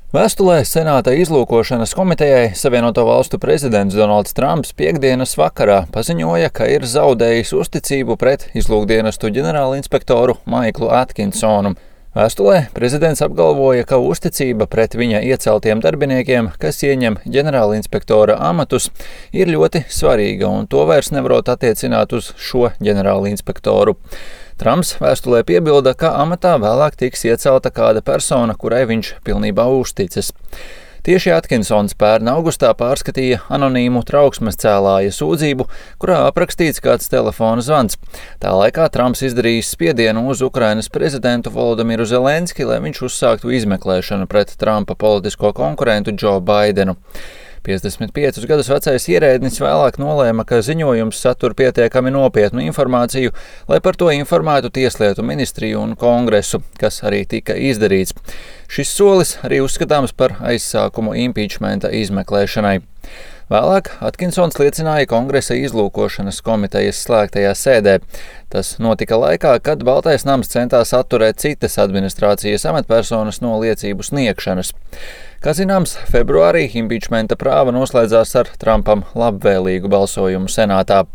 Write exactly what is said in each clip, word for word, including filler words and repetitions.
Vēstulē Senāta izlūkošanas komitejai Savienoto Valstu prezidents Donalds Trumps piektdienas vakarā paziņoja, ka ir zaudējis uzticību pret izlūkdienestu ģenerālinspektoru Maiklu Atkinsonu. Vēstulē prezidents apgalvoja, ka uzticība pret viņa ieceltiem darbiniekiem, kas ieņem ģenerālinspektora amatus, ir ļoti svarīga un to vairs nevarot attiecināt uz šo ģenerālinspektoru. Trumps vēstulē piebilda, ka amatā vēlāk tiks iecelta kāda persona, kurai viņš pilnībā uzticas. Tieši Atkinsons pērn augustā pārskatīja anonīmu trauksmes cēlāja sūdzību, kurā aprakstīts kāds telefona zvans. Tā laikā Trumps izdarījis spiedienu uz Ukrainas prezidentu Volodimiru Zelenski, lai viņš uzsāktu izmeklēšanu pret Trumpa politisko konkurentu Džo Baidenu. piecdesmit piecus gadus vecais ierēdnis vēlāk nolēma, ka ziņojums satur pietiekami nopietnu informāciju, lai par to informētu Tieslietu ministriju un Kongresu, kas arī tika izdarīts. Šis solis arī uzskatāms par aizsākumu impičmenta izmeklēšanai. Vēlāk Atkinsons liecināja Kongresa izlūkošanas komitejas slēgtajā sēdē. Tas notika laikā, kad Baltais nams centās atturēt citas administrācijas amatpersonas no liecību sniegšanas. Kā zināms, februārī impičmenta prāva noslēdzās ar Trumpam labvēlīgu balsojumu senātā.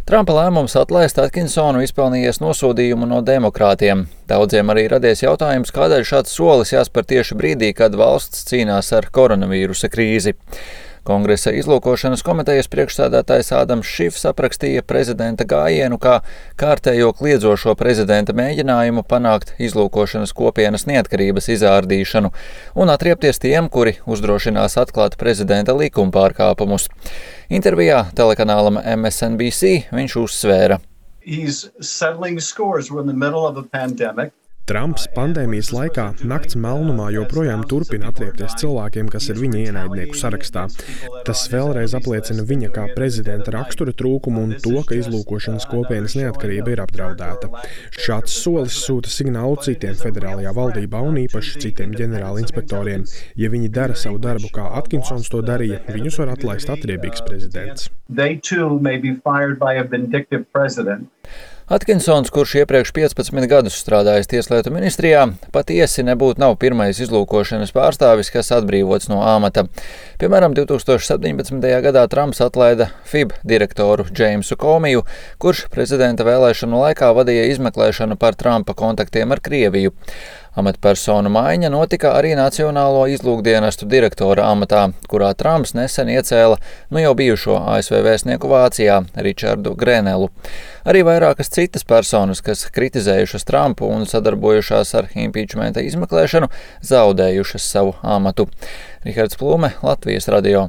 Trumpa lēmums atlaist Atkinsonu izpelnījies nosodījumu no demokrātiem. Daudziem arī radies jautājums, kādēļ šāds solis jāspēr tieši brīdī, kad valsts cīnās ar koronavīrusa krīzi. Kongresa izlūkošanas komitejas priekšsēdētājs Ādams Šifs aprakstīja prezidenta gājienu kā kārtējo kliedzošo prezidenta mēģinājumu panākt izlūkošanas kopienas neatkarības izārdīšanu un atriepties tiem, kuri uzdrošinās atklāt prezidenta likumpārkāpumus. Intervijā telekanālam M S N B C viņš uzsvēra. Trumps pandēmijas laikā nakts melnumā joprojām turpina atriepties cilvēkiem, kas ir viņa ienaidnieku sarakstā. Tas vēlreiz apliecina viņa kā prezidenta rakstura trūkumu un to, ka izlūkošanas kopienas neatkarība ir apdraudēta. Šāds solis sūta signālu citiem federālajā valdībā un īpaši citiem ģenerālinspektoriem. Ja viņi dara savu darbu, kā Atkinsons to darīja, viņus var atlaist atriebīgs prezidents. Atkinsons, kurš iepriekš piecpadsmit gadus strādājis Tieslietu ministrijā, patiesi nebūtu nav pirmais izlūkošanas pārstāvis, kas atbrīvots no amata. Piemēram, divi tūkstoši septiņpadsmitajā gadā Trumps atlaida F I B direktoru Džeimsu Komiju, kurš prezidenta vēlēšanu laikā vadīja izmeklēšanu par Trumpa kontaktiem ar Krieviju. Amatpersonu maiņa notika arī Nacionālo izlūkdienestu direktora amatā, kurā Trumps nesen iecēla nu jau bijušo A S V vēstnieku Vācijā Ričardu Grenelu. Arī vairākas citas personas, kas kritizējušas Trumpu un sadarbojušās ar impičmenta izmeklēšanu, zaudējušas savu amatu. Rihards Plume, Latvijas radio.